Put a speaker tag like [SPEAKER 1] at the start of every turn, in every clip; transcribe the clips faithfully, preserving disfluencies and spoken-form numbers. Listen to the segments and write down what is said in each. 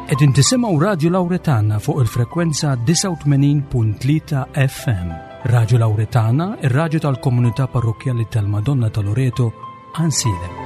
[SPEAKER 1] Qegħdin tisimgħu Radio Lauretana fuq il-frekwenza disgħa u tmenin punt tlieta F M. Radio Lauretana, ir-radju tal-komunità parrokkjali tal-Madonna ta' Loreto, Għajnsielem.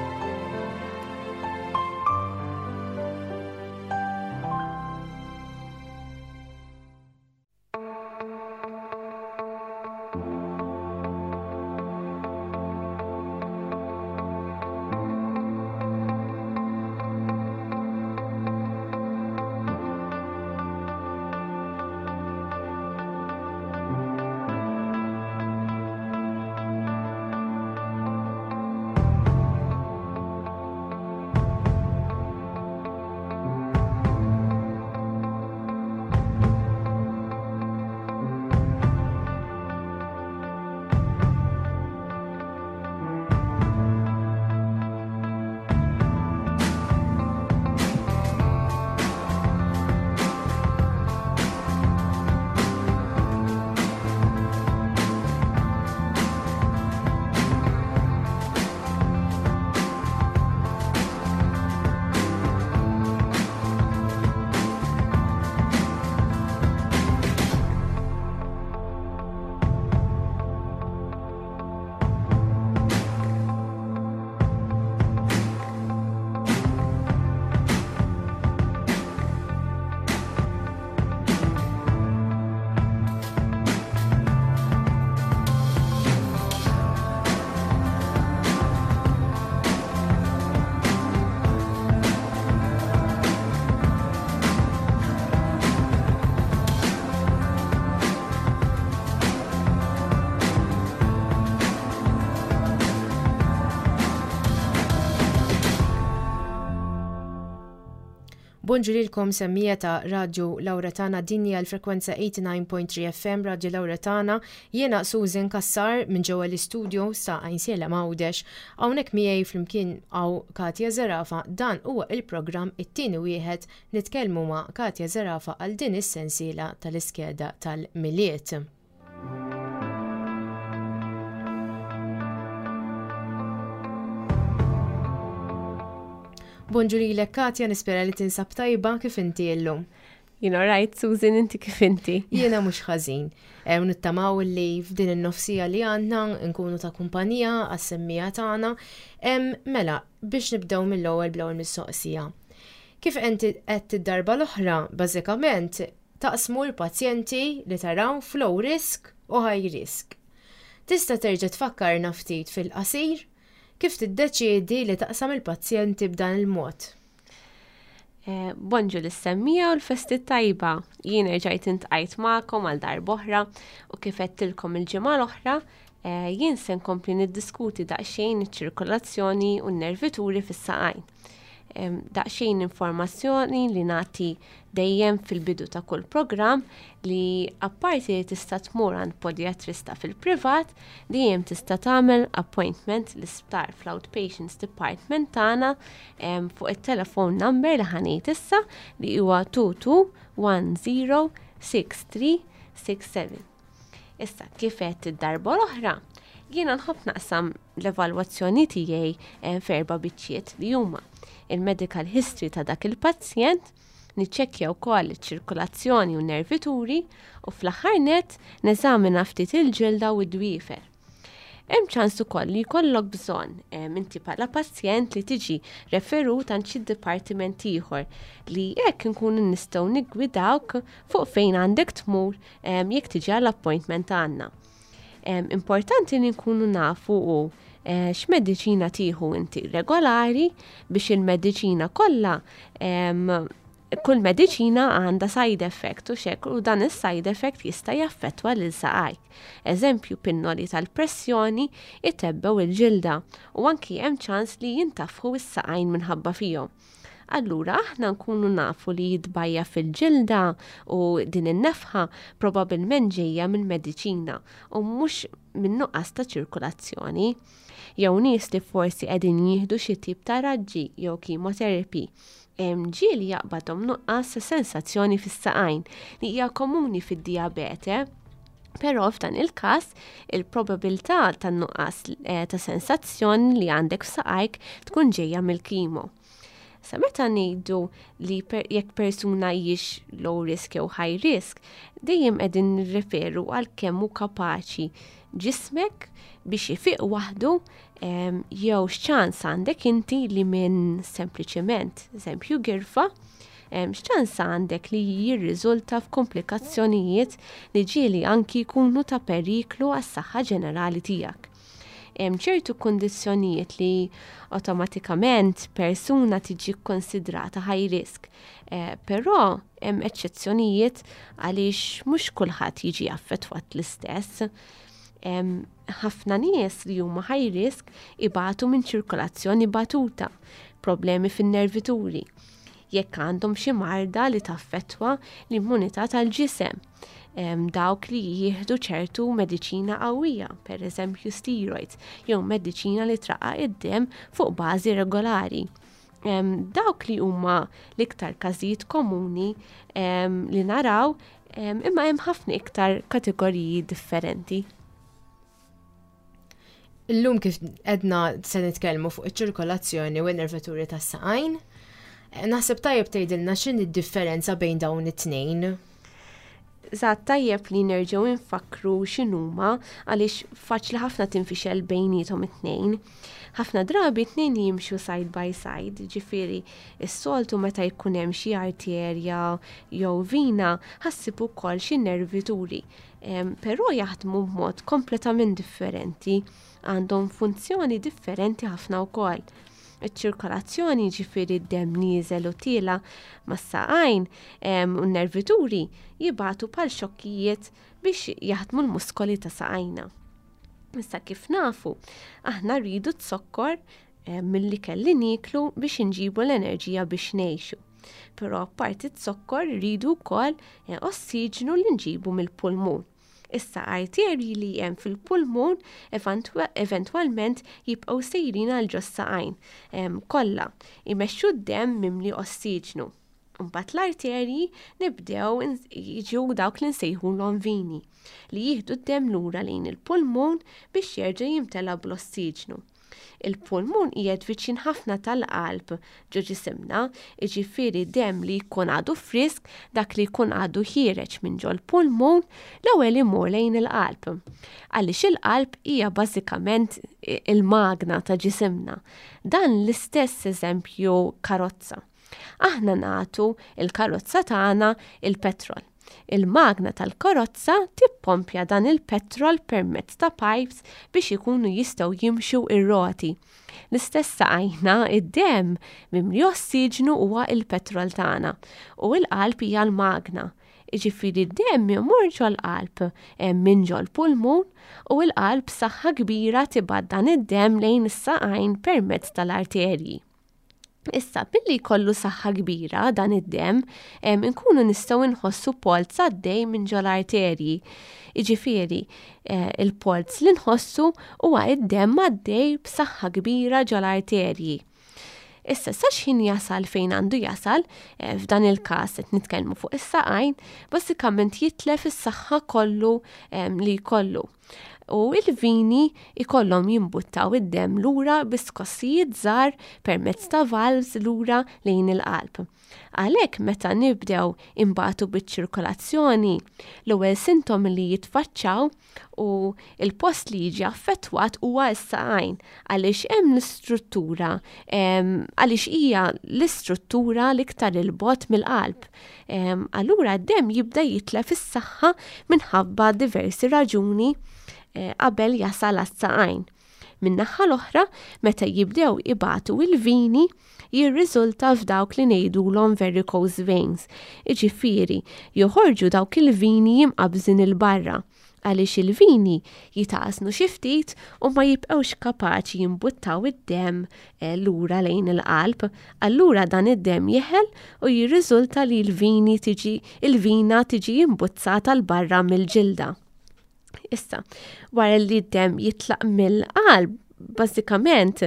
[SPEAKER 2] Bonġu lilkom, semmiegħa ta' Radio Lauretana. Din hija l-frekwenza tmienja u tmenin punt tlieta F M, Radio Lauretana. Jiena Susan Kassar minn ġewwa l-istudio sa Għajnsielem, Għawdex. Hawnhekk miegħi flimkien hawn Katja Zerafa. Dan huwa il-programm It-Tieni Wieħed. Nitkellmu ma' Katja Zerafa għal din is-sensiela tal-iskeda tal-Milied. Bonġu lilek, Katja, nispera li tinsab tajba. Kif inti illum?
[SPEAKER 3] Jiena right, Susan, inti kif inti?
[SPEAKER 2] Jiena mhux ħażin. E, Nittamaw li f'din in-nofsija li għandna nkunu ta' kumpanija għas-semmiegħa tagħna. Mela, biex nibdew mill-ewwel bl-ewwel mistoqsija. Kif inti qed id-darba l-oħra, bażikament taqsmu l-pazjenti li taraw f'low risk u high risk. Tista' terġa' tfakkarna ftit fil-qasir kif tiddeċiedi li taqsam il-pazjenti b'dan il-mod?
[SPEAKER 3] Eh, bonġu lis-semmiegħa u l-festi tajba. Jien rġajt iltqajt magħkom għal darb'oħra u kif għedtilkom il-ġimgħa l-oħra, eh, jien se nkompli niddiskuti daqsxejn iċ-ċirkolazzjoni u n-nervituri fis-saqajn. Daqsxejn informazzjoni li nagħti dejjem fil-bidu ta' kull programm li apparti li tista' tmur għand podiatrista fil-privat, dejjem tista' tagħmel appointment l-isptar fl-outpatients department tagħna fuq it-telephone number li ħa ngħid issa, li huwa tnejn tnejn wieħed żero sitta tlieta sitta seba'. Issa, kif għedt id-darba l-oħra, jiena nħobb naqsam l-evalwazzjoni tiegħi eh, f'erba' biċċiet, li huma il-medical history ta' dak il-pazjent, niċċekkja wkoll iċ-ċirkolazzjoni u nervituri u fl-aħħar net neżamina ftit il-ġilda u d-dwiefer. Hemm ċans ukoll li jkollok bżonn inti bħala pazjent li tiġi referut għand xi dipartiment ieħor, li hekk nkunu nistgħu niggwidawk fuq fejn għandek tmur jekk tiġi għall-appointment għandna. Importanti li nkunu nafu u eh, x'mediċina tieħu inti regolari biex il-mediċina kollha, kull mediċina għandha side effect u xek u dan is-side effect jista' jaffettwa lil saqajk. Eżempju, pinnoli tal-pressjoni itebbgħu il-ġilda u anki hemm ċans li jintafħu is-saqajn minħabba fihom. Allura aħna nkunu nafu li jitbajja fil-ġilda u din in-nefħa probabilment ġejja minn mediċina u mhux minn nuqqas ta' ċirkolazzjoni. Jew nies li forsi qegħdin jieħdu xi tip ta' raġġi jew chemotherapy, ġieli jaqbadhom nuqqas sensazzjoni fis-saqajn li hija komuni fid-diabete. Però f'dan il-każ il-probabilità tan-nuqqas eh, ta' sensazzjoni li għandek f'saqajk tkun ġejja mill-chemo. Sa meta ngħidu li per, jekk persuna hijiex low risk jew high risk, dejjem qegħdin nirreferu għal kemm hu kapaċi ġismek biex ifiq waħdu jew x'ċans għandek inti li minn sempliċement, eżempju girfa, x'ċans għandek li jirriżulta f'komplikazzjonijiet li ġieli anki jkunu ta' periklu għas-saħħa ġenerali tiegħek. Hemm ċertu kundizzjonijiet li awtomatikament persuna tiġi konsidrata high risk, eh, però hemm eċċezzjonijiet għaliex mhux kulħadd jiġi affettwat l-istess. Ħafna nies li huma high risk ibatu minn ċirkolazzjoni batuta, problemi fin-nervituri, jekk għandhom xi marda li taffettwa l-immunità tal-ġisem. Dawk li jieħdu ċertu mediċina qawwija, per eżempju steroids, jew mediċina li traqqaq id-dem fuq bażi regolari. Dawk li huma l-iktar każijiet komuni li naraw, imma hemm ħafna iktar kategoriji differenti.
[SPEAKER 2] Illum kif edna se nitkellmu fuq iċ-ċirkolazzjoni u n-nervaturi tas-saqajn. Naħseb tajjeb tgħidilna x'inhi d-differenza bejn dawn it-tnejn.
[SPEAKER 3] Eżatt, tajjeb li nerġgħu nfakru x'inhuma għaliex faċli ħafna tinfixel bejniethom it-tnejn. Ħafna drabi t-tnejn jimxu side by side, ġifieri s-soltu meta jkun hemm xi arterja jew vina ħa ssib ukoll xi nervituri. Però jaħdmu b'mod kompletament differenti, għandhom funzjoni differenti ħafna wkoll. Iċ-ċirkolazzjoni, ġifieri d-dem nieżel u tiela mas-saqajn, u n-nervituri jibatu pal xokkijiet biex jaħdmu l-muskoli ta' saqajna. Issa kif nafu, aħna rridu t-sokkor milli kelli niklu biex inġibu l-enerġija biex ngħixu. Però apparti t-sokkor rridu wkoll eh, ossiġnu li nġibu mill-pulmun. Issa arterji li hemm fil-pulmun eventwalment jibqgħu sejrin għal ġos-saqajn kollha imexxu d-demm mimli ossiġnu. Mbagħad l-arterji nibdew jiġu dawk li nsejħulhom vini li jieħdu d-demm lura lejn il-pulmun biex jerġa' jimtela bl-ossiġnu. Il-pulmun qiegħed viċin ħafna tal-qalb ġo ġisimna, jiġifieri demm li jkun għadu frisk, dak li jkun għadu ħiereġ minn ġol-pulmun, l-ewwel imur lejn il-qalb. Għaliex il-qalb hija bażikament il-magna ta' ġisimna. Dan l-istess eżempju karozza. Aħna nagħtu il-karozza tagħna il-petrol. Il-magna tal-karozza tippompja dan il-petrol permezz ta' pipes biex ikunu jistgħu jimxu ir-roti. L-istess saqajna, id-demm mimli ossiġnu huwa il-petrol tagħna u l-qalb hija l-magna. Jiġifieri d-demm imur ġol-qalb minn ġol-pulmun u l-qalb saħħa kbira tibgħat dan id-demm lejn is-saqajn permezz tal-arterji. Issa, billi jkollu saħħa kbira dan id-demm, inkunu nistgħu nħossu polz għaddej minn ġol-arterji. Jiġifieri, eh, il-polz li nħossu huwa id-demm għaddej b'saħħa kbira ġol-arterji. Issa, sa x'ħin jasal fejn għandu jasal, eh, f'dan il-każ qed nitkellmu fuq is-saqajn, bażikament jitlef is-saħħa kollu li jkollu. U il-vini ikollhom jimbuttaw id-demm lura bi skossijiet żgħar permezz ta' valves lura lejn il-qalb. Għalhekk meta nibdew imbatu biċ-ċirkolazzjoni, l-ewwel sintomi li jitfaċċaw u il-post li jiġi affettwat huwa s-saqajn, għaliex hemm l-istruttura, għaliex hija l-istruttura l-iktar il-bogħod mill-qalb. Allura d-demm jibda jitlef is-saħħa minħabba diversi raġuni qabel jasal għas-saqajn. Min-naħa l-oħra, meta jibdew ibatu il-vini, jirriżulta f'dawk li ngħidulhom varicose veins. Jiġifieri, joħorġu dawk il-vini jimqabżin il-barra, għaliex il-vini jitaqsnu xi ftit u ma jibqgħux kapaċi jimbuttaw id-demm lura lejn il-qalb. Allura dan id-demm jeħel u jirriżulta li l-vini tiġi, il-vina tiġi imbuzzata l barra mill-ġilda. Issa, wara li d-demm jitlaq mill-qalb, bażikament,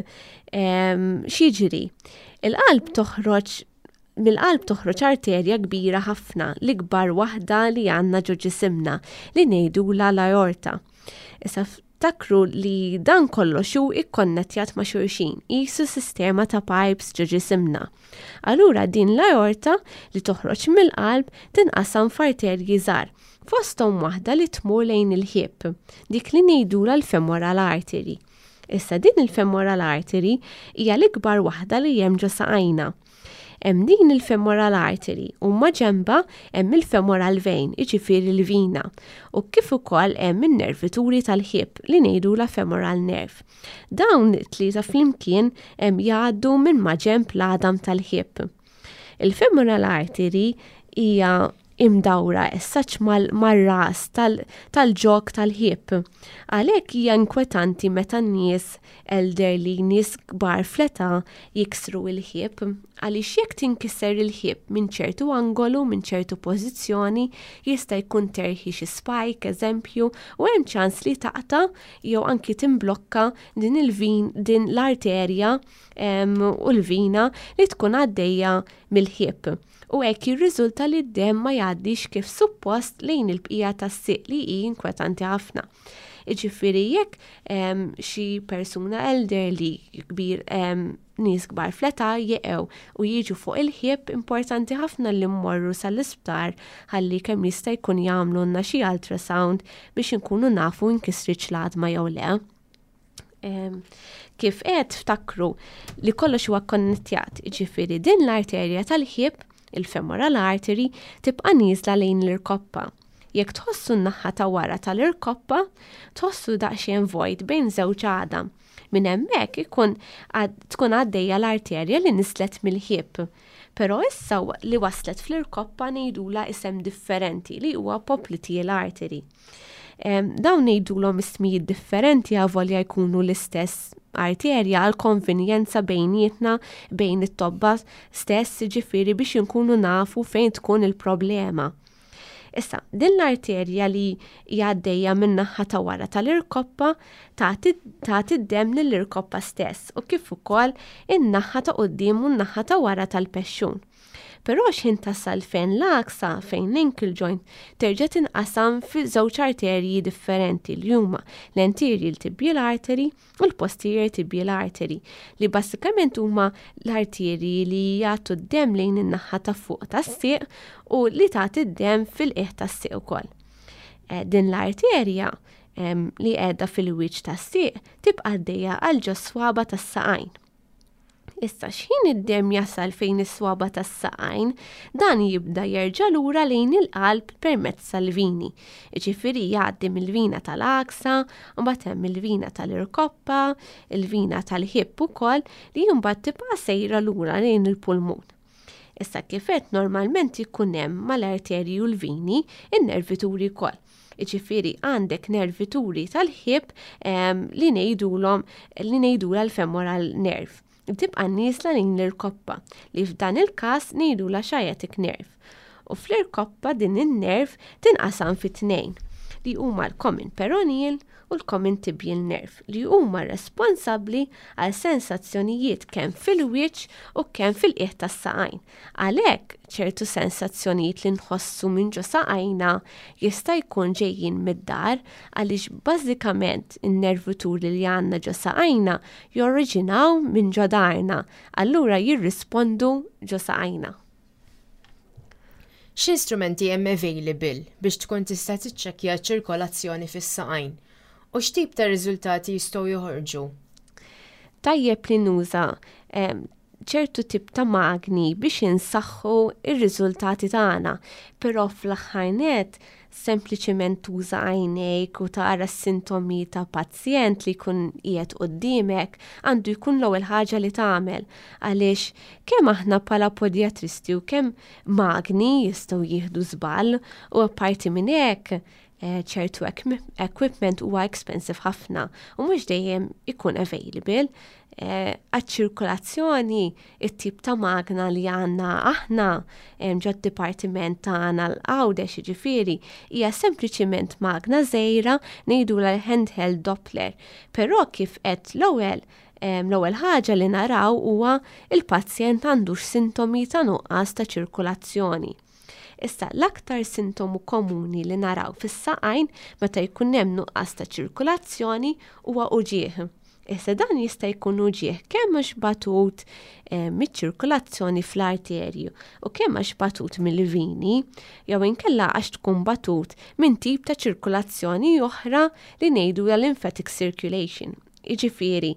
[SPEAKER 3] x'jiġri? Il-qalb toħroġ, mill-qalb toħroġ arterja kbira ħafna, l-ikbar waħda li għandna ġo ġisimna, li ngħidulha l-aorta. Issa, Ftakru li dan kollox hu ikkonnettjat ma' xulxin, qisu sistema ta' pipes ġo ġisimna. Allura din l-aorta li toħroġ mill-qalb tinqasam f'arterji żgħar, fosthom waħda li tmur lejn il-hip, dik li ngħidulha l-femoral artery. Issa din il-femoral artery hija l-ikbar waħda li hemm ġo saqajna. Hemm din il-femoral artery u maġenbha hemm il-femoral vein, jiġifieri l-vina, u kif ukoll hemm in-nervituri tal-hip li ngħidulha femoral nerve. Dawn it-tlieta flimkien hemm jgħaddu minn maġenb l-għadam tal-hip. Il-femoral artery hija imdawra essaċ mal-ras tal-ġog tal-hip. Għalhekk hija inkwetanti meta n-nies elderly, nies kbar fl-età jiksru il-hip, għaliex jekk tinkiser il-hip minn ċertu angolu, minn ċertu pożizzjoni, jista' jkun terħi xi spike, eżempju, u hemm ċans li taqta' jew anki timblokka din il-vin, din l-arterja u l-vina li tkun għaddejja mill-hip. U hekk jirriżulta li d-demm ma jgħaddix kif suppost lejn il-bqija tas-sieq li hi inkwetanti ħafna. Jiġifieri jekk xi persuna elderly kbir nies kbar fl-età jeqgħu u jiġu fuq il-hip, importanti ħafna li mmorru sal-isptar ħalli kemm jista' jkun jagħmlulna xi ultrasound biex inkunu nafu nkisritx l-għadma jew le. Kif qed ftakru li kollox huwa konnettjat, jiġifieri din l-arterja tal-hip, il-femoral artery, tibqa' nieżla lejn l-irkoppa. Jekk tħossu n-naħa ta' wara tal-irkoppa, tħossu daqsxejn vojt bejn żewġ għadam. Minn hemmhekk ikun tkun għaddejja l-arterja li nislet mill-hip. Però issa li waslet fl-irkoppa ngħidulha isem differenti li huwa popliteal artery. Dawn ngħidulhom ismijiet differenti avolja jkunu l-istess arterja għal konvenjenza bejnietna bejn it-tobba stess, ġifieri biex inkunu nafu fejn tkun il-problema. Issa, din l-arterja li għaddejja minn naħa ta' wara tal-irkoppa tagħti d-demm lill-irkoppa stess u kif ukoll in-naħa ta' quddiem u n-naħa ta' wara tal-pexxun. Però x'ħin tasal fejn l-għaksa, fejn l-ankle joint, terġa' tinqasam fi żewġ arterji differenti li huma l-anterior tibial artery u l-posterior tibial artery, li basikament huma l-arterji li jagħtu d-demm lejn in-naħa ta' fuq tas-sieq u li tagħti d-demm fil-qiegħ tas-sieq ukoll. Eh, din l-arterja li qiegħda fil-wiċċ tas-sieq tibqa' għaddejja għal ġo swaba tas-saqajn. Issa x'ħin id-demm jasal fejn is-swaba tas-saqajn, dan jibda jerġa' lura lejn il-qalb permezz tal-vini. Jiġifieri jgħaddi mill-vina tal-għaksa, mbagħad hemm il-vina tal-irkoppa, il-vina tal-hip ukoll li mbagħad tibqa' sejra lura lejn il-pulmun. Issa kif għedt normalment ikun hemm mal-arterji u l-vini in-nervituri wkoll. Jiġifieri għandek nervituri tal-hip li ngħidulhom li ngħidulha l-femoral nerve. Tibqa' nieżla lejn l-irkoppa li f'dan il-każ ngħidulha sciatic nerve. U fl-irkoppa din in-nerve tinqasam fi tnejn li huma l-common peroneal u l-common tibial nerve li huma responsabbli għal sensazzjonijiet kemm fil-wiċċ u kemm fil-qiegħ tas-saqajn. Għalhekk ċertu sensazzjonijiet li nħossu minn ġo saqajna jista' jkun ġejjin mid-dahar għaliex bażikament in-nervituri li għandna ġo saqajna jorriġinaw minn ġo daharna, allura jirrispondu ġo saqajna.
[SPEAKER 2] X'instrumenti hemm available biex tkun tista' tiċċekkja ċ-ċirkolazzjoni fis-saqajn? U x'tip ta' riżultati jistgħu joħorġu?
[SPEAKER 3] Tajjeb li nuża ċertu tip ta' magni biex insaħħu ir-riżultati tagħna, però fl-aħħar nett sempliċement tuża għajnejk u tara s-sintomi ta' pazjent li jkun qiegħed quddiemek għandu jkun l-ewwel ħaġa li tagħmel għaliex kemm aħna bħala podjatristi u kemm magni jistgħu jieħdu żball u apparti minn hekk eh, ċertu equipment huwa expensive ħafna u mhux dejjem ikun available. Eh, għaċ-ċirkolazzjoni it-tip ta' magna li għandna aħna ġod dipartiment tagħna l-Għawdex jiġifieri hija sempliċiment magna żgħira ngħidulha l-handheld Doppler. Però kif qed l-ewwel l-ewwel ħaġa li naraw huwa il-pazjent għandux sintomi ta' nuqqas ta' ċirkolazzjoni. Issa, l-aktar sintomu komuni li naraw fis-saqajn meta jkun hemm nuqqas ta' ċirkulazzjoni huwa uġieħ. Issa, dan jista' jkun uġieħ kemm għax batut eh, miċ-ċirkulazzjoni fl-arterju u kemm għax batut mill-vini, jew inkella għax tkun batut minn tip ta' ċirkulazzjoni oħra li ngħidu lymphatic circulation. Jiġifieri,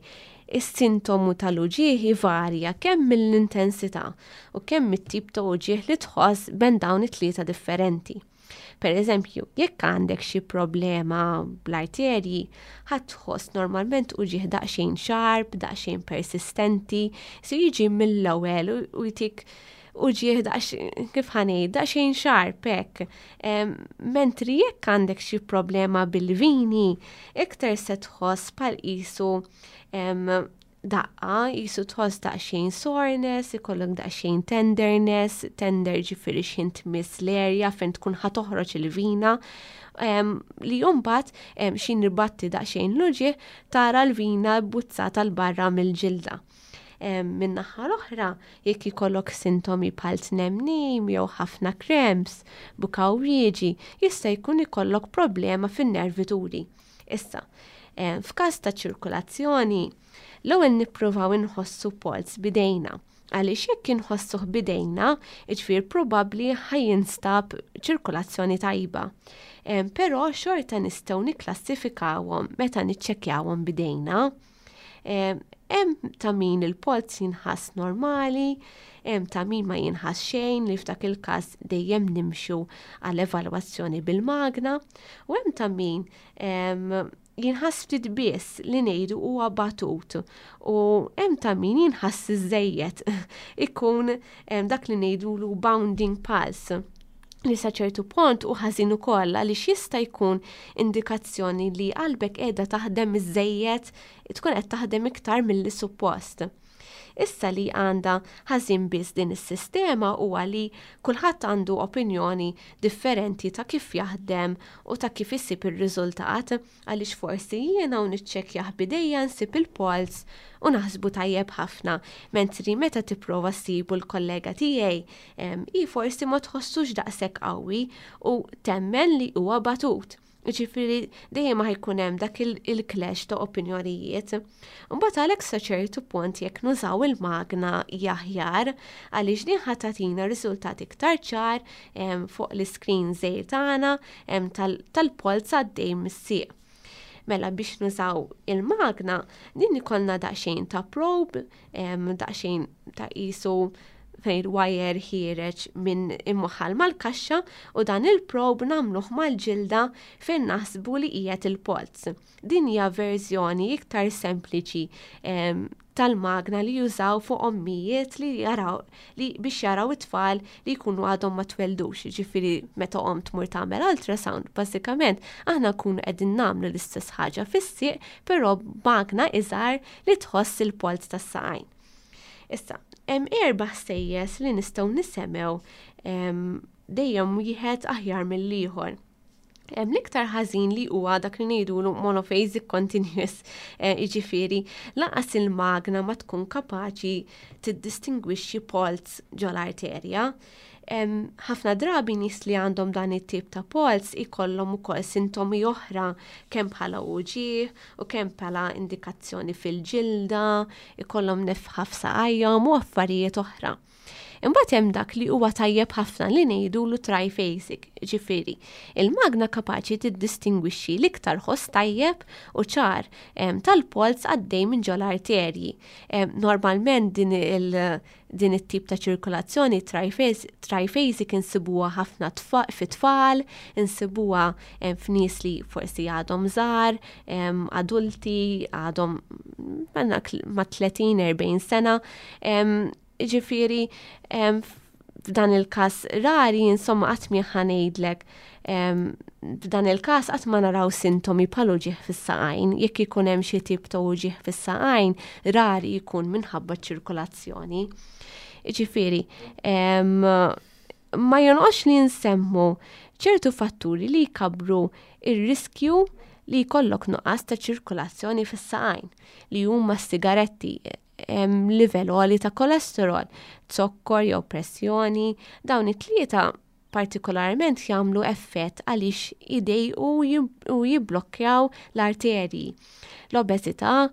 [SPEAKER 3] is-sintomu tal-uġieħ varja kemm mill-intensità u kemm mit-tip ta' uġieħ li tħoss bejn dawn it-tlieta differenti. Per eżempju, jekk għandek xi problema bl-arterji, ħa tħoss normalment uġieħ daqsxejn sharp, daqsxejn persistenti, se jiġi mill-ewwel u jtik uġieħ daqsxejn, kif ħa ngħid, daqsxejn sharp hekk. Mentri jekk għandek xi problema bil-vini, iktar se tħoss bħal qisu daqqa, qisu tħoss daqsxejn soreness, ikollok daqsxejn tenderness, tender ġifieri x'ħin tmiss l-area fejn tkun ħa toħroġ il-vina, li mbagħad x'ħin nibatti daqsxejn l-uġieħ tara l-vina buzzata 'l barra mill-ġilda. Min-naħa l-oħra, jekk ikollok sintomi bħal tnemnim jew ħafna cramps, buka wrieġi, jista' jkun ikollok problema fin-nervituri. Issa, f'każ ta' ċirkulazzjoni, l-ewwel nippruvaw inħossu polz bidejna. Għaliex jekk inħossuh bidejna, jiġifieri probabbli ħa jinstab ċirkulazzjoni tajba. Però xorta nistgħu nikklassifikawhom meta niċċekkjawhom bidejna. Hemm ta' min il-polz jinħass normali, hemm ta' min ma jinħass xejn, li f'dak il-każ dejjem nimxu għal evalwazzjoni bil-magna, u hemm ta' min jinħass ftit biss, li ngħidu huwa batut, u hemm ta' min jinħass iżejjed, ikun dak li ngħidulu bounding pulse, li sa ċertu punt u ħażin ukoll għaliex jista' jkun indikazzjoni li qalbek qiegħda taħdem iżejjed, tkun qed taħdem iktar milli suppost. Issa, li għandha ħażin biss din is-sistema huwa li kulħadd għandu opinjoni differenti ta' kif jaħdem u ta' kif isib ir-riżultat, għaliex forsi jiena u niċċekkjah bidejja nsib il-polz u naħsbu tajjeb ħafna, mentri meta tipprova ssibu l-kollega tiegħi i forsi ma tħossux daqshekk qawwi u temmen li huwa batut. Ġifieri dejjem ħa jkun hemm dak il-clash ta' opinjonijiet. Mbagħad għalhekk sa ċertu punt jekk nużaw il-magna aħjar, għaliex din ħa tagħtina riżultat iktar ċar fuq l-screen żgħir tagħna tal-polz għaddej mis-sieq. Mela, biex nużaw il-magna, din ikollna daqsxejn ta' probe, daqsxejn ta' qisu fejn wire ħiereġ minn imwaħħal mal-kaxxa, u dan il-probe nagħmluh mal-ġilda fejn naħsbu li qiegħed il-polz. Din hija verżjoni iktar sempliċi tal-magna li jużaw fuq ommijiet li jaraw li biex jaraw it-tfal li jkunu għadhom ma tweldux, ġifieri meta om tmur tagħmel ultrasound, bażikament aħna nkunu qegħdin nagħmlu l-istess ħaġa fis-sieq, però magna iżgħar li tħoss il-polz tas-saqajn. Issa, hemm erba' ħsejjes li nistgħu nisemgħu, dejjem wieħed aħjar mill-ieħor. Hemm l-iktar ħażin li huwa dak li ngħidulu monophasic continuous, eh, jiġifieri lanqas il-magna ma tkun kapaċi tiddistingwixxi polz ġol-arterja. Ħafna drabi nies li għandhom dan it-tip ta' polz ikollhom ukoll sintomi oħra, kemm bħala uġieħ u kemm bħala indikazzjoni fil-ġilda, ikollhom nefħa f'saqajhom u affarijiet oħra. Imbagħad hemm dak li huwa tajjeb ħafna li ngħidulu triphasic, ġifieri il-magna kapaċi tiddistingwixxi l-iktar ħoss tajjeb u ċar tal-polz għaddej minn ġol-arterji. Normalment din il- din it-tip ta' ċirkolazzjoni triphasic insibuha ħafna fit-tfal, insibuha f'nies li forsi għadhom żgħar, adulti, għadhom ma' tletin erbgħin sena. Ġifieri, f'dan il-każ rari, insomma, qatt mi ħa ngħidlek, f'dan il-każ qatt ma naraw sintomi bħal uġieħ fis-saqajn. Jekk ikun hemm xi tip ta' uġieħ fis-saqajn, rari jkun minħabba ċirkolazzjoni. Ġifieri, ma jonqosx li nsemmu ċertu fatturi li jkabru ir-riskju li jkollok nuqqas ta' ċirkolazzjoni fis-saqajn, li huma s-sigaretti, livell għoli ta' kolesterol, zokkor jew pressjoni. Dawn it-tlieta Partikolarment jagħmlu effett għaliex idejqu u jibblokkaw l-arterji. L-obeżità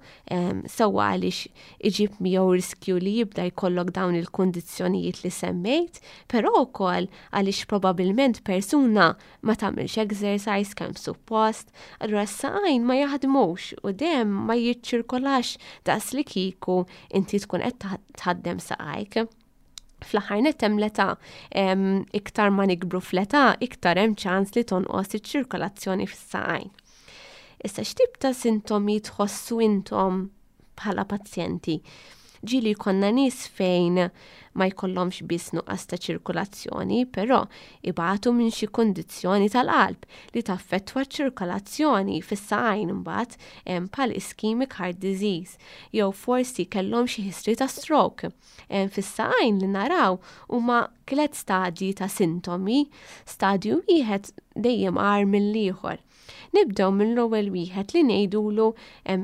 [SPEAKER 3] sewwa għaliex iġib miegħu riskju li jibda jkollok dawn il-kundizzjonijiet li semmejt, però wkoll għaliex probabbilment persuna ma tagħmilx exercise kemm suppost, allura s-saqajn ma jaħdmux u demm ma jiċċirkolax daqs li kieku inti tkun qed tħaddem saqajk. Fl-aħħar nett hemm l-età, iktar ma nikbru fl-età, iktar hemm ċans li tonqos iċ-ċirkolazzjoni fis-saqajn. Issa x'tip ta' sintomi tħossu intom bħala pazjenti? Ġieli jkollna nies fejn ma jkollhomx biss nuqqas ta' ċirkolazzjoni, però ibatu minn xi kundizzjoni tal-qalb li taffettwa ċ-ċirkolazzjoni fis-saqajn imbagħad bħal ischemic heart disease, jew forsi kellhom xi history ta' stroke. Fis-saqajn li naraw huma tliet stadji ta' sintomi, stadju wieħed dejjem agħar mill-ieħor. Nibdew mill-ewwel wieħed li ngħidulu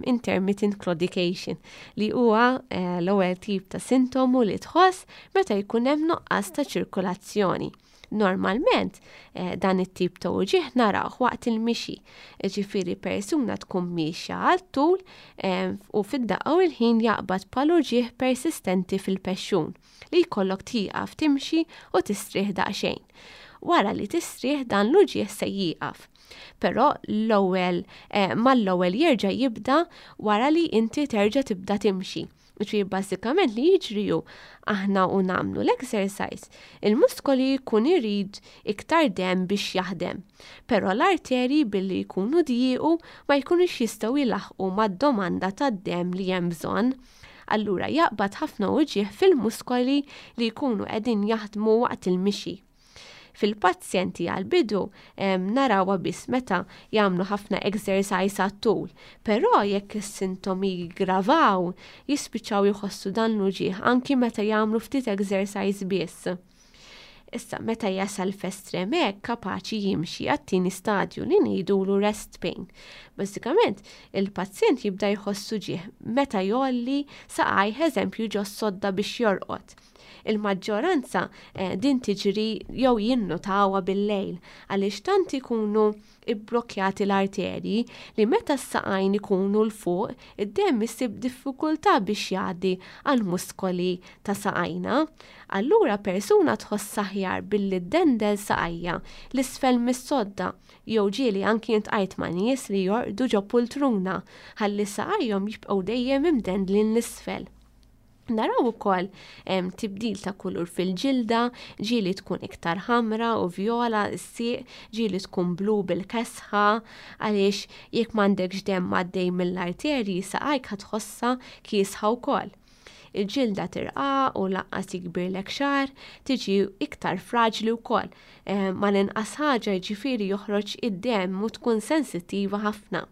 [SPEAKER 3] intermittent claudication, li huwa eh, l-ewwel tip ta' sintomu li tħoss meta jkun hemm nuqqas ta' ċirkolazzjoni. Normalment eh, dan it-tip ta' uġigħ narawh waqt il-mixi, ġifieri persuna tkun miexja għal tul eh, u fid-daqqa u l-ħin jaqbad bħal uġigħ persistenti fil-pexxun li jkollok tieqaf timxi u tistrieħ daqsxejn. Wara li tistrieħ dan l-uġigħ se jieqaf. Però l-ewwel eh, mal-ewwel jerġa' jibda wara li inti terġa' tibda timxi. Ġifieri bażikament li jiġri hu aħna u nagħmlu l-exercise, il-muskoli jkun irid iktar demm biex jaħdem. Però l-arterji billi jkunu djiequ ma jkunux jistgħu jilaħqu mad-domanda tad-demm li hemm bżonn. Allura jaqbad ħafna uġigħ fil-muskoli li jkunu qegħdin jaħdmu waqt il-mixi. Fil-pazjenti għal-bidu narawha biss meta jagħmlu ħafna exercise għat-tul, però jekk is-sintomi jiggravaw, jispiċċaw jħossu dan l-uġigħ anki meta jagħmlu ftit exercise biss. Issa meta jasal f'estrem hekk kapaċi jimxi għat-tieni stadju li ngħidulu rest pain. Bażikament, il-pazjent jibda jħossu uġigħ meta jgħolli saqajh eżempju ġo sodda biex jorqod. Il-maġġoranza eh, din tiġri jew jinnotawha bil-lejl għaliex tant ikunu ibblokkjati l-arterji li meta s-saqajn ikunu 'l fuq, id-demm isib diffikultà biex jgħaddi għall-muskoli ta' saqajna. Allura persuna tħoss aħjar billi ddendel saqajja l-isfel mis-sodda jew ġieli anki iltqajt ma' nies li jorqdu ġo pultruna ħalli saqajhom jibqgħu dejjem imdendlin l-isfel. Naraw ukoll tibdil ta' kulur fil-ġilda, ġieli tkun iktar ħamra u vjola s-sieq, ġieli tkun blu bil-kesħa, għaliex jekk m'għandekx demm għaddej mill-arterji saqajk ħa tħossha kiesħa wkoll. Il-ġilda tirqaq u lanqas jikbirlek xagħar, tiġi iktar fraġli wkoll. Ma l-inqas ħaġa jiġifieri joħroġ id-demm u tkun sensittiva ħafna.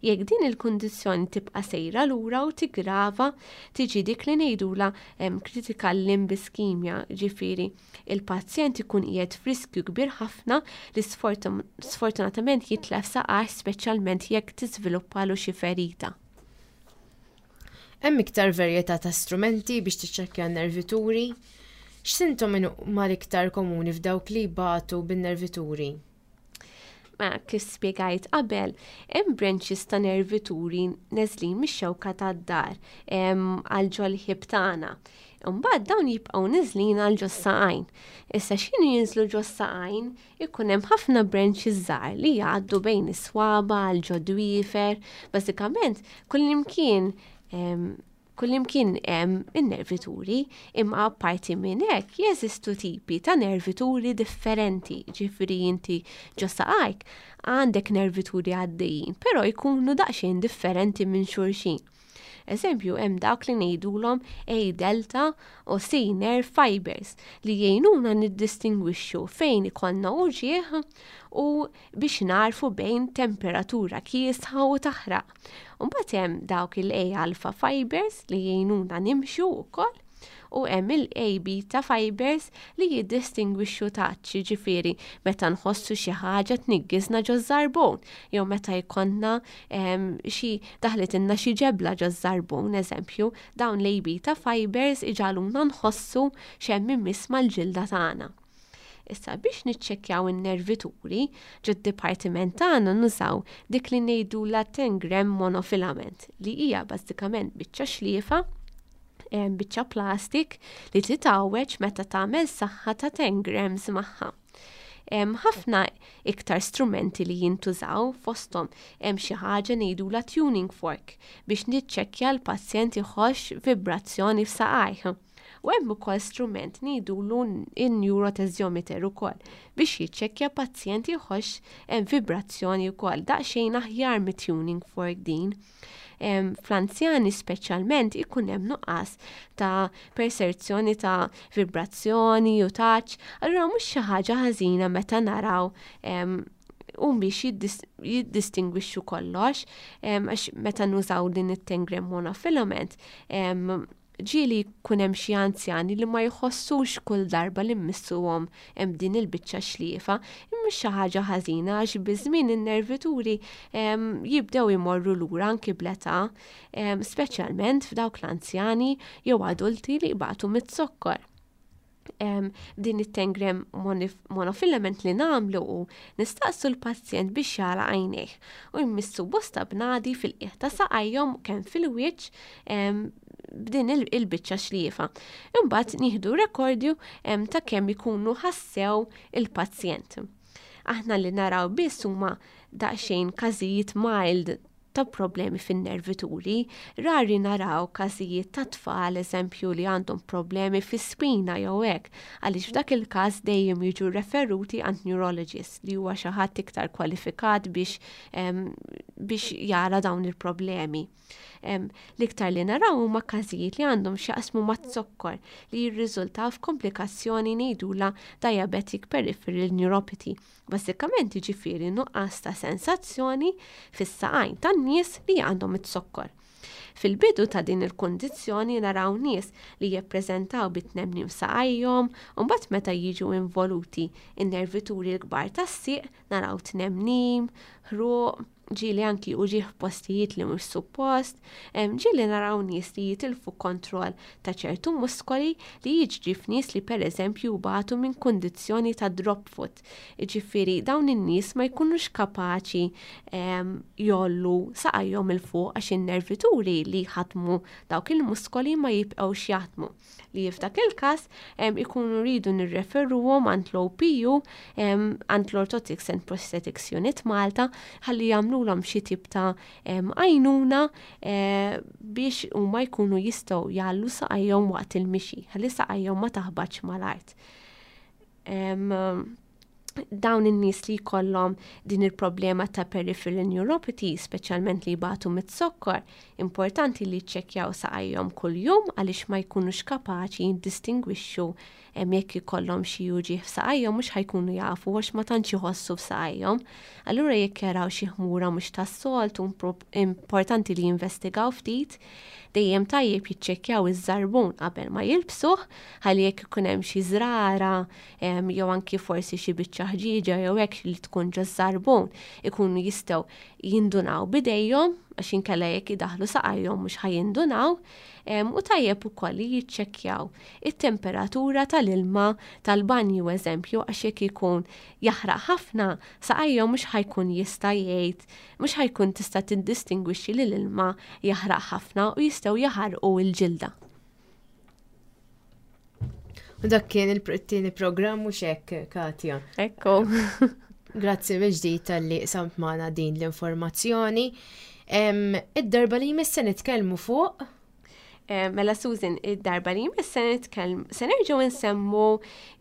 [SPEAKER 3] Jekk din il-kundizzjoni tibqa' sejra lura u tigrava, tiġi dik li ngħidula critical limb ischemia, ġifieri il-pazjent ikun qiegħed f'riskju kbir ħafna li sfortunatament jitlef saqajh speċjalment jekk tiżviluppalu xi ferita.
[SPEAKER 2] Hemm iktar varjetà ta' strumenti biex tiċċekkja n-nervituri. X'sintomi huma l-iktar komuni f'dawk li jbatu bin-nervituri?
[SPEAKER 3] Ma kif spjegajt qabel, hemm branches ta' nervituri neżlin mix-xewka tad-dahar għal ġol-ħib tagħna. Imbagħad dawn jibqgħu niżlin għal ġos-saqajn. Issa x'inhu jinżlu ġos-saqajn, ikun hemm ħafna branches żgħar li jgħaddu bejn is-swaba għal ġo dwiefer. Bażikament kullimkien kullimkien hemm in-nervituri, imma apparti minn hekk jeżistu tipi ta' nervituri differenti. Ġifieri inti ġo saqajk għandek nervituri għaddejjin, però jkunu daqsxejn differenti minn xulxin. Eżempju, hemm dawk li ngħidulhom A delta u C nerve fibers li jgħinuna niddistingwixxu fejn ikollna uġigħ u biex narfu bejn temperatura kiesħa u taħraq. Mbagħad hemm dawk il-A alpha fibers li jgħinuna nimxu wkoll u hemm il-A beta fibers li jiddistingwixxu touch, ġifieri meta nħossu xi ħaġa tniggiżna ġo żarbun jew meta jkollna xi daħlitilna xi ġebla ġo żarbun, eżempju, dawn l-A beta fibers iġagħluna nħossu x'hemm imiss mal-ġilda tagħna. Issa biex niċċekkjaw in-nervituri ġod-dipartiment tagħna nużaw dik li ngħidulha ten gram monofilament, li hija bażikament biċċa xliefa, biċċa plastik li titgħawweġ meta tagħmel saħħa ta' ten grams magħha. Hemm ħafna iktar strumenti li jintużaw, fosthom hemm xi ħaġa ngħidulha tuning fork biex niċċekkja l-pazjent iħoss vibrazzjoni f'saqajh. U hemm ukoll strument ngħidulu in-neurothesiometer ukoll biex jiċċekkja pazjent iħoss hemm vibrazzjoni wkoll, daqsxejn aħjar mit-tuning fork din. Fl-anzjani speċjalment ikun hemm nuqqas ta' perserzjoni ta' vibrazzjoni u touch, allura mhux xi ħaġa ħażina meta naraw u biex jiddistingwixxu kollox, għax meta nużaw din it-ten gram monofilament, ġieli jkun hemm xi anzjani li ma jħossux kull darba li mmissuhom hemm din il-biċċa xliefa, imma xi ħaġa ħażina għax biż-żmien in-nervituri jibdew imorru lura anki bl-età, speċjalment f'dawk l-anzjani jew adulti li jbatu mit-zokkor. Din it-ten gram monofilament li nagħmlu u nistaqsu l-pazjent biex jagħlaq għajnejh u jmissu bosta bnadi fil-qiegħ ta' saqajhom kemm fil-wiċċ b'din il-biċċa xliefa. Imbagħad nieħdu rekordju ta' kemm ikunu ħassew il-pazjent. Aħna li naraw biss huma daqsxejn każijiet mild ta' problemi fin-nervituri, rari naraw każijiet ta' tfal, eżempju, li għandhom problemi fi-spina jew hekk, għaliex f'dak il-każ dejjem jiġu referuti għand neurologist li huwa xi ħadd iktar kwalifikat biex, biex jara dawn il-problemi. L-iktar li naraw huma każijiet li għandhom x'jaqsmu mat-zokkor li jirriżultaw f'komplikazzjoni ngħidulha diabetic peripheral neuropathy. Bażikament jiġifieri nuqqas ta' sensazzjoni fis-saqajn tan-nies li għandhom it-zokkor. Fil-bidu ta' din il-kundizzjoni naraw nies li jippreżentaw bit-tnemnim saqajhom, u mbagħad meta jiġu involuti in-nervituri l-kbar tas-sieq naraw tnemnim, ħruq, ġieli anki uġigħ postijiet li mhux suppost, ġieli naraw nies li jitilfu kontroll ta' ċertu muskoli li jiġri f'nies li pereżempju batu minn kundizzjoni ta' drop foot. Jiġifieri dawn in-nies ma jkunux kapaċi jgħollu saqajhom 'il fuq għax in-nervituri li jħadmu dawk il-muskoli ma jibqgħux jaħdmu. Li f'dak il-każ ikunu rridu nirreferuhom għand l-O P U, għand l-Orthotics and Prosthetics Unit Malta, ħalli jagħmlu jagħmlulhom xi tip ta' għajnuna eh, biex huma jkunu jistgħu jgħallu saqajhom waqt il-mixi, ħalli saqajhom ma taħbatx mal-art. Dawn in-nies li jkollhom din il-problema ta' peripheral neuropathy, speċjalment li jbatu mit-zokkor, importanti li jiċċekkjaw saqajhom kuljum għaliex ma jkunux kapaċi jiddistingwixxu jekk ikollhom xi uġigħ f'saqajhom, mhux ħa jkunu jafu għax ma tantx iħossu f'saqajhom. Allura jekk jaraw xi ħmura mhux tas-soltu, importanti li jinvestigaw ftit. Dejjem tajjeb jiċċekkjaw iż-żarbun qabel ma jilbsuh, ħalli jekk ikun hemm xi żrara jew anki forsi xi biċċa ħġieġa jew hekk li tkun ġo żarbun, ikunu jistgħu jindunaw bidejhom, għax inkella jekk idaħlu saqajhom mhux ħa jindunaw. U tajjeb ukoll li jiċċekkjaw it-temperatura tal-ilma tal-banju, eżempju, għax jekk ikun jaħraq ħafna saqajhom mhux ħa jkun jista' jgħid, mhux ħa jkun tista' tiddistingwixxi li l-ilma jaħraq ħafna u jistgħu jaħarqu l-ġilda.
[SPEAKER 2] U dak kien il-tieni programm, mhux hekk, Katja?
[SPEAKER 3] Ekku.
[SPEAKER 2] Grazzi mill-ġdid talli qsamt magħna din l-informazzjoni. Id-darba li jmiss se nitkellmu fuq
[SPEAKER 3] Eh, mela Susan, id-darba li jmiss se nitkellmu, se nerġgħu nsemmu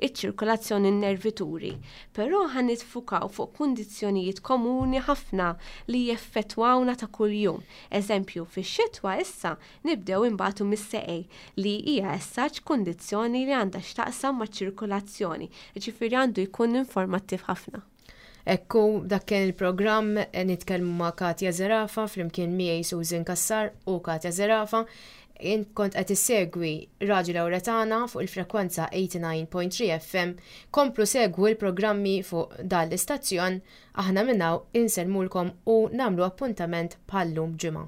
[SPEAKER 3] iċ-ċirkolazzjoni, nervituri, però ħa niffukaw fuq kundizzjonijiet komuni ħafna li jeffettwawna ta' kuljum. Eżempju, fix-xitwa issa nibdew imbatu mis-seqej, li hija essaċ kundizzjoni li għandha x'taqsam maċ-ċirkolazzjoni, ġifieri għandu jkun informattiv ħafna.
[SPEAKER 2] Ekku, dak kien il-programm Nitkellmu ma' Katja Zerafa, flimkien miegħi Susan Kassar u Katja Zerafa. Int kont qed issegwi Radju Lawretana fuq il-frekwenza tmienja u tmenin punt tlieta F M. Komplu segwu l-programmi fuq dan l-istazzjon. Aħna minn hawn insellmulkom u nagħmlu appuntament bħallum ġimgħa.